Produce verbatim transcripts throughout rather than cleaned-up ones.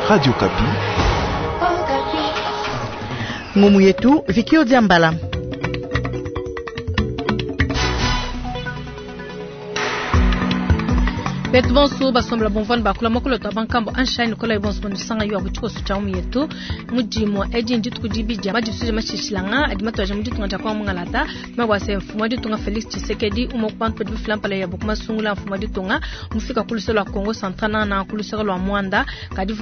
Radio Okapi. Ngumu yetu Vikio Diambala. Betu bonso basombola bomvana bakula mokolo to bankambo anshine kola bonso bonisanga yo abutiko sucha mu yetu mudimo edi ndituku dibidya madisuja mashishilanga adi matwaja muditunga dia kwa mungalata mabwase mfumu ditunga Felix Tshisekedi umo kubantu badi bifilampala ya bukuma sungula mfumu ditunga mufika kuluselo lwa Congo Central na kuluselo lwa Mwanda kadi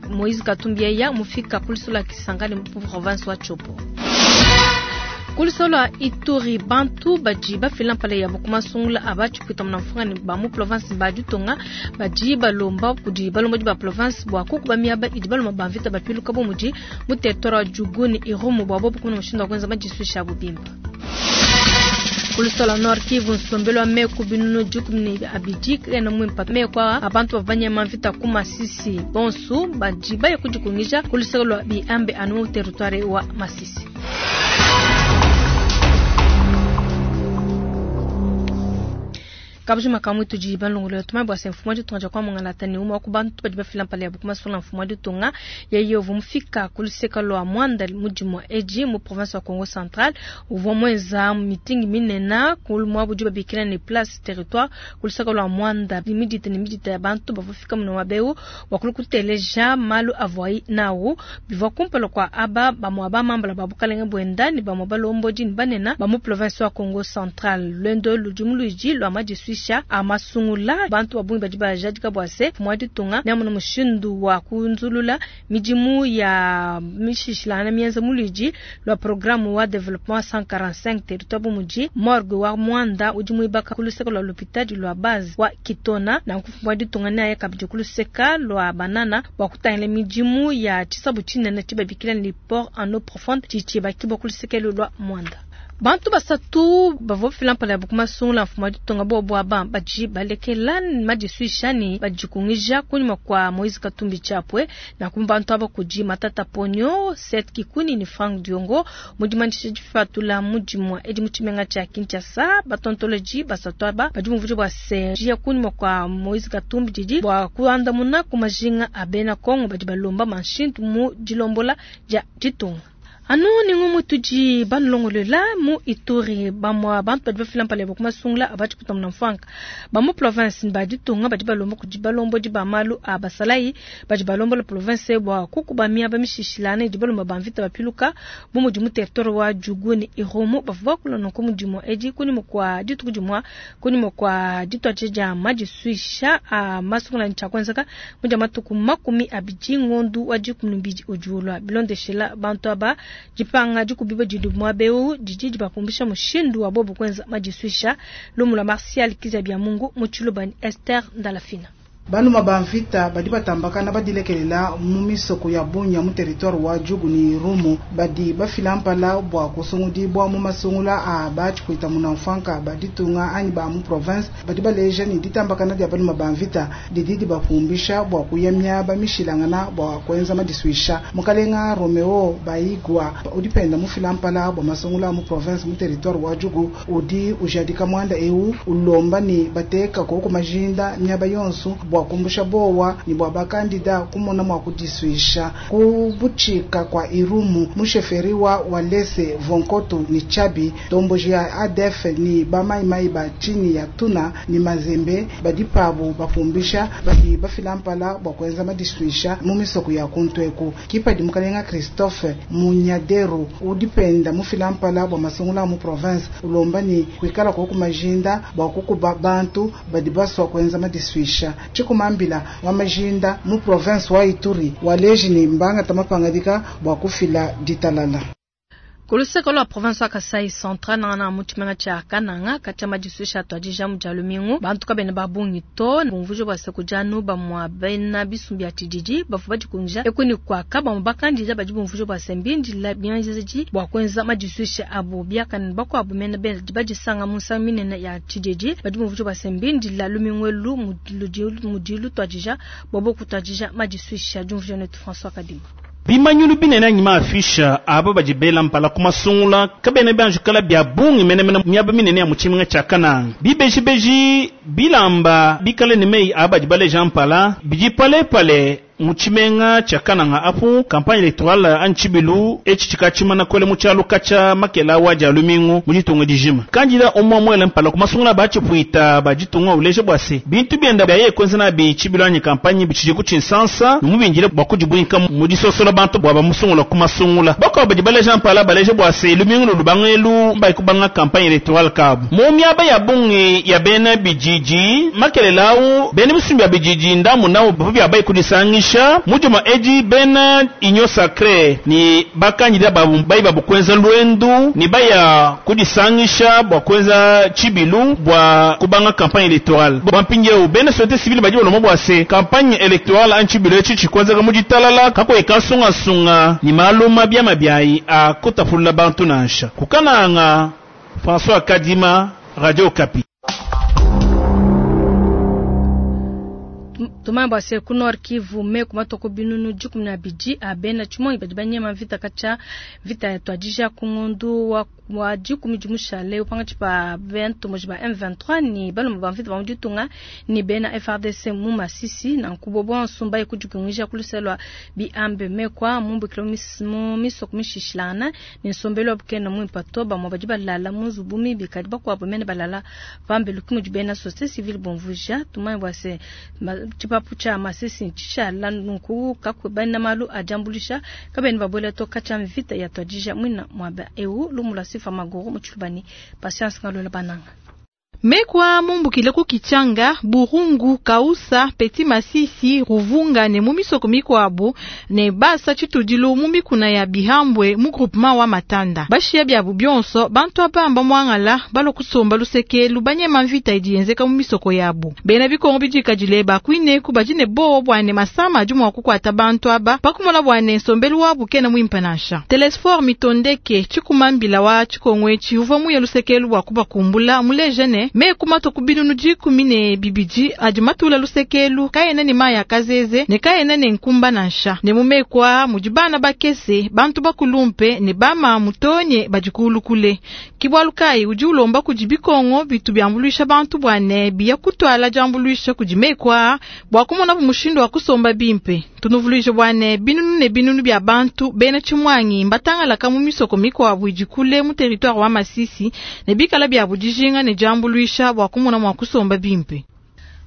Moïse Katumbi yeya mufika kuluselo lwa Kisangani mu province wa Tshopo. Kulusolo Ituri bantu badi bafila mpala ya bukumasungula aba tshipwita muna mfunga ba mu province ba ditunga badi balomba kudi balomba di ba province bua kukuba miaba idi balomba ba mvita bapiluka bu mudi mu territoire wa Djugu ne Irumu bua bobu kumona mushindu wa kuenza madisuisha abu bimpe. Kulusolo Nord Kivu nsombelo wa meku binunu dikumi ne abidi kena mwimpa meku aa abantu bavanyema mvita ku Masisi bonsu badi baye kudikungija kulusolo lwa Biambe anu mu territoire wa Masisi. Kabujima kamwe tudi balongolo tuma bwa se mfumo ditunga dia kwa mungalata ne umwe ku bantu badi bafila mpala ya bukuma sula mfumo ditunga yeye uvua mufika kuluseka lwa Mwanda mudimu edi mu province wa Congo Central uvua mwenza meeting minena kulumwa budi babikila ne place territoire kuluseka lwa Mwanda midite ne midite ya bantu bavua fika muno mabeu wakulu kuteleja malu avwai nawu bivua kumpala kwa aba bamwa bamambala babukalenge bwenda ne bamwa balombodi ne banena ba mu province wa Congo Central lwendo ludimu luidi lwa madisuisha amasungula bantu babungi badi bajadika bua se mfumu wa ditunga neamuna mushindu wa kunzulula midimu ya mishishilana mienza muludi lwa programme wa développement cent quarante-cinq territoire bu mudi morgue wa Mwanda udi muibaka kuluseka lwa lopitadi lwa base wa Kitona na mfumu wa ditunga neaye kabidi kuluseka lwa Banana bua kutangila midimu ya tshisabu tshinene tshibabikila ni port en eau profonde tshitshibakibwa kulusekelu lwa Mwanda. Bantu basatu bavua bafila mpala ya bukumasungula mfumu wa ditunga bobu aba badi balekela madisuisha ne badikungija kunyima kwa Moïse Katumbi Chapwe na kumba bantu aba kudi Matata Ponyo, Seth Kikuni ni Frank Diongo mudimandisha difatula mudimu edi mu tshimenga tshia Kinshasa batontoloji basatu aba badi muvudi bua se jia kunyima kwa Moïse Katumbi didi bua kuandamuna ku majinga a bena Kongo badi balomba manshintu mu dilombola dia ditunga. Anu ningumu tudi banlongolola mu Ituri bamwa bantu badi bafila mpala ya kumasungula abati kutamuna mfanka ba mu province ba ditunga badi balomba kudi balombodi ba malu a basalayi badi balombola province bua kukuba miaba mishishilana idi balomba ba mvita bapiluka bu mudi mu territoire wa Djugu ne Irumu bavua bakula nunku mudimu edi kunyima kua dituku dimua kunyima kua dituadija dia madisuisha a masungula ne tshiakuenzeka mu dia matuku makumi abidi ngondu wa dikumi ne mbidi udi ulua bilondeshela bantu aba dipanga dikubiba didi muabeu didi dibapumbisha mushindu wa bobu kwenza madisuisha lumu lwa Martial Kizabia Mungu mu Tshilubani Esther Ndalafina. Baluma ba mvita badi batambakana badilekelela mu misoko ya Bunia mu territoire wa Djugu ni Irumu badi bafila mpala bua kusungudibwa mu masungula a batshikuita muna mfanka baditunga anyi ba mu province badi baleja ni ditambakana dia baluma ba mvita didi dibapumbisha bua kuya miaba mishilangana bua kuenza madisuisha. Mukalenga Romeo Baigwa udi penda mufila mpala bua masungula mu province mu territoire wa Djugu udi ujadika mwanda eu ulomba ni bateka koko majinda miaba yonso bua kumbusha bowa ni bua bakandida kumona mwa kudisuisha kubuchika kwa Irumu musheferi wa Walese Vonkoto ni Chabi tomboji ya A D F ni bamaimai ba chini ya Tuna ni Mazembe badi pabu bapumbisha badi bafila mpala bua kuenza madisuisha mu misoko ya kuntweku kipa di mukalenga Christophe Munyaderu udipenda mufila mpala bua masungula mu province ulomba ni kuikala kwa kumajinda bua kukuba bantu badi baswa kuenza madisuisha chikumambila wa majinda mu province wa Ituri waleji ni mbanga tamapangadika bua kufila ditalala. Kuluseka lwa province wa Kasai Central na mu tshimenga tshia Kananga katia madisuisha atuadija mu dia lumingu bantu kabena babungi to bumvujo bua se kujanu bamua bena bisumbi ya tshididi bavua badikunja ekuni kuaka bamue bakandida badi bumvujo bua se mbindila bianzedi bua kuenza madisuisha abu biakane bakuabu mena badi badisanga mu nsangu minene ya tshididi badi bumvujo bua se mbindila lumingu elu mudi lutuadija bobo kutuadija madisuisha diumvujo netu François Kadima. Bimanyulu binene anyi maafisha aba badi bela mpala ku masungula kabena bianjukala bia bungi menemene miaba minene ya mu tshimenga tshia Kananga bibejibeji bilamba bikale ne meyi aba badi baleja mpala bidi palepale Mu tshimenga tshia Kananga apu campagne électorale anyi tshibilu etshi tshikatshimana kwele mu tshialuka tshia makela wa dia lumingu mu ditunga dijima. Kandida umwe mwele mpala ku masungula batshipuita ba ditunga uleje bua se bintu bienda bia yeye kwenza nabi tshibilu anyi campagne bitshidi ku tshinsansa numubindile bua kudibwinka mu disosola bantu bua bamusungula ku masungula. Bakwa badi baleja mpala baleje bua se lumingu lubangelu mbai kubanga campagne électorale kabu. Mu miaba ya bungi ya bena bididi makelela au bena bisumbi ya bididi ndamu nao bavu bia bai kudisangisha mujuma edi bena union sacrée ni bakandida babu bai babu kwenza lwendu ni baya kudisangisha bua kwenza tshibilu bua kubanga campagne électorale. Bua mpindieu bena société civile badi balomba bua se campagne électorale anyi tshibilu etshi tshikwenzeka mu ditalala kakuyi kasungasunga ni maluma biama biayi a kutapulula bantu nansha. Kukananga François Kadima, Radio Okapi. Tumamba se ku Nord Kivu me kumatoko binunu dikumi na bidi abena tshimonyi badi banyema vita kacha vita ya twadija ku ngondu wa wa dikumi dimushale upanga tshipa bentu moji ba M vingt-trois ni balomba ba mvita ba muditunga ni bena F R D C mu Masisi na nkubo bonso mbaye kudikungisha kuluselwa bi ambe me kwa mumbu kilomis mu misoko mishishilana ni nsombelo bukena mu ipato ba mo badi balala mu nzubu mibi kadi bakwabo mene balala pambe lukimu dibena société civile bonvuja tumamba se tshipapu tshia Masisi tshishala nunku kakubana malu ajambulisha kabeni babola to kacha mvita ya twadija mwina mwaba eu lumula sifa magoro mutshubani patience ngalola bananga. Mekwa mumbukile ku Kichanga, Burungu, Kausa, Petit Masisi, Ruvunga ne mu misoko mikwabu ne basa tshitudilu mu mikuna ya Bihambwe mu groupement wa Matanda. Bashia byabu byonso bantu abamba mwangala balo kusomba lusekelu banyema mvita idi yenzeka mu misoko yabu. Bena bikongo bidikadile bakwine ku badine bowo bwane masama adi mua kukwata bantu aba pakumola bwane nsombelu wabu kena mwimpanasha. Telesfor mitondeke tshikumambila wa tshikongwe tshiuvua muye lusekelu bua kubakumbula mulejene me kumato kubinunu dikumi ne bibidi adi matula lusekelu kaena ne maya kazeze ne kaena ne nkumba nansha ne mumekwa mudi bana bakese bantu bakulumpe ne bama mutonye badikulukule kibwalu kai udi ulomba kudi bikongo bitu byambuluisha bantu bwane biya kutwala jambuluisha kudi mekwa bwa kumona bumushindo wa kusomba bimpe tunuvuluishe bwane binunu ne binunu bya bantu bena tshimwangi mbatangalaka mu misoko mikwabu idikule mu territoire wa Masisi ne bikala bya budijinga ne jambuluisha bwa kumona mwa kusomba bimpe.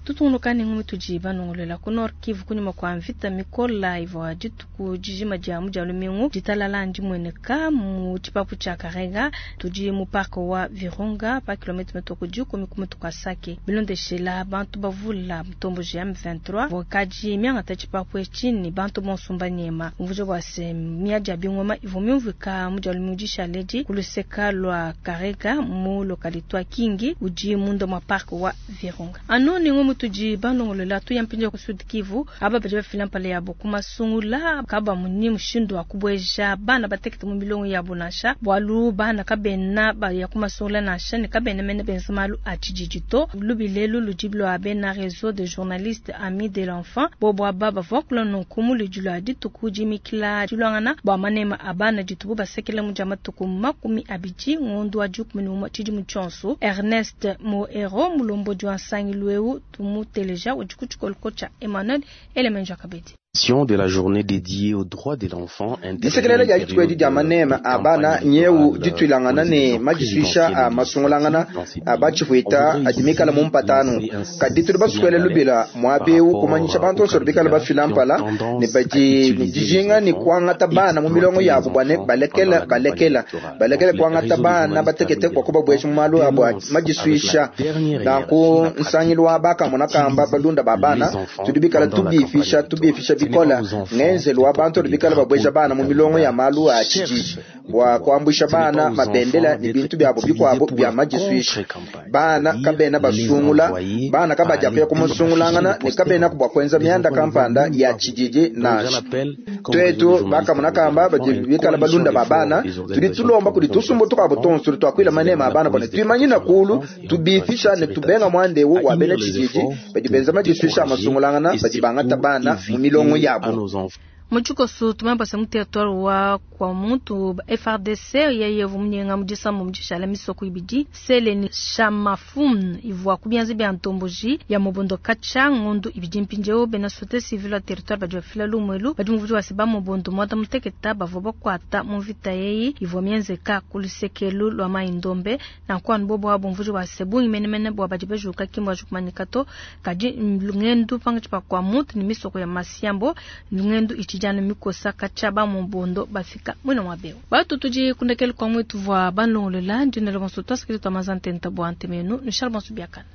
Tutungunuka ngumi tujiba nongolela ku Nord Kivu kunyuma kwa mvita mikola ivwa dituku dijima dia mu dia lumingu ditalala ndimweneka mu tshipapu tshia Karega tudi mu parc wa Virunga pa kilomètre metoko dikumi ku mutu kwa Sake bilondeshela bantu bavula mutomboji ya M vingt-trois vokaji miangata tshipapu etshi ni bantu bonso mbanyema mvujo bwa se miadia bingoma ivwa myumvika mu dia lumingu dishaledi kuluseka lwa Karega mu localité wa Kingi udi mundo mwa parc wa Virunga anoni ngumi tuji banongolela tu yampinja ku Sud Kivu aba baje bafila mpale yabo kumasungula kaba munyi mushindu wa kubweja bana batekete mu milongo yabo nansha bwalu bana kabena ba ya kumasungula nansha ne kabena mene benza malu a tshijijito lubilelu lujiblo abena réseau de journalistes amis de l'enfant bobo aba bavua kula nonku mu lidilo dituku jimikila dilwangana bwa manema abana ditubu basekela mu jamatuku makumi abidi ngondu wa dikumi n'umwe tshidimu tshionso Ernest Moero mulombo wa nsangilu Muteleja udi Emmanuel Elemenja Kabedi. De la journée dédiée aux droits de l'enfant disekelele dia dituku edi dia manema a bana nyeu dituilangana ne madisuisha a masungulangana a batshipuita adi mikala mu mpatanu kadi tudi basukuele lubila muabeu kumanyisha bantu onso bikala bafila mpala ne badi ne dijinga ne kuangata bana mu milongo yabu bua ne balekela balekela balekele kuangata bana batekete kwa kubabuesha mu malu abu madisuisha nanku nsangilu wa bakamona kamba balunda ba bana tudi bikala tubifisha tubifisha bikola ngenzelu wa bantu bikala babweja bana mu milongo ya malu a tshijiji bua kuambusha bana mabendela ni bintu byabo bikwabo bya majiswisha bana kabena basungula bana kabaja kuya kumusungulangana ne kabena kubwa kwenza myanda kampanda ya tshijiji nasha twetu bakamona kamba bikala balunda ba bana tudi tulomba kudi tusumbu tukabo tonso twakwila manema abana bwana twimanyina kulu tubifisha ne tubenga mwandewu wa bena tshijiji badi benza majiswisha amasungulangana badi bangata bana mu milongo yabo. Mu tshikoso tumanye bua se mu territoire wa Kwamouth F A R D C yeye uvua munyenga mu disambo mu dishala misoko ibidi Sele ne Shamafun ivua ku bianza bia ntomboji ya Mobondo katshia ngondu ibidi. Mpindieu bena société civile wa territoire badi bafila lumuelu badi muvudi wa se ba Mobondo muanda muteketa bavua bakuata mu mvita yeyi ivua mienzeka ku lusekelu lua Mai Ndombe. Nanku anu bobo abo mvudi wa se bungi menemene bua badi bajuka kimbo ajukumanyika to, kadi lungendu pangatshi pa Kwamouth ne misoko ya Masiambo lungendu itshidi anu mikosa katshia ba Mobondo bafika mwina mwa beo. Batu tudi kundekelu kwa mwetu vua banlongolola ndinelo bonso twasikili twa mazantenta bua ntemenu nushal bonso biakana.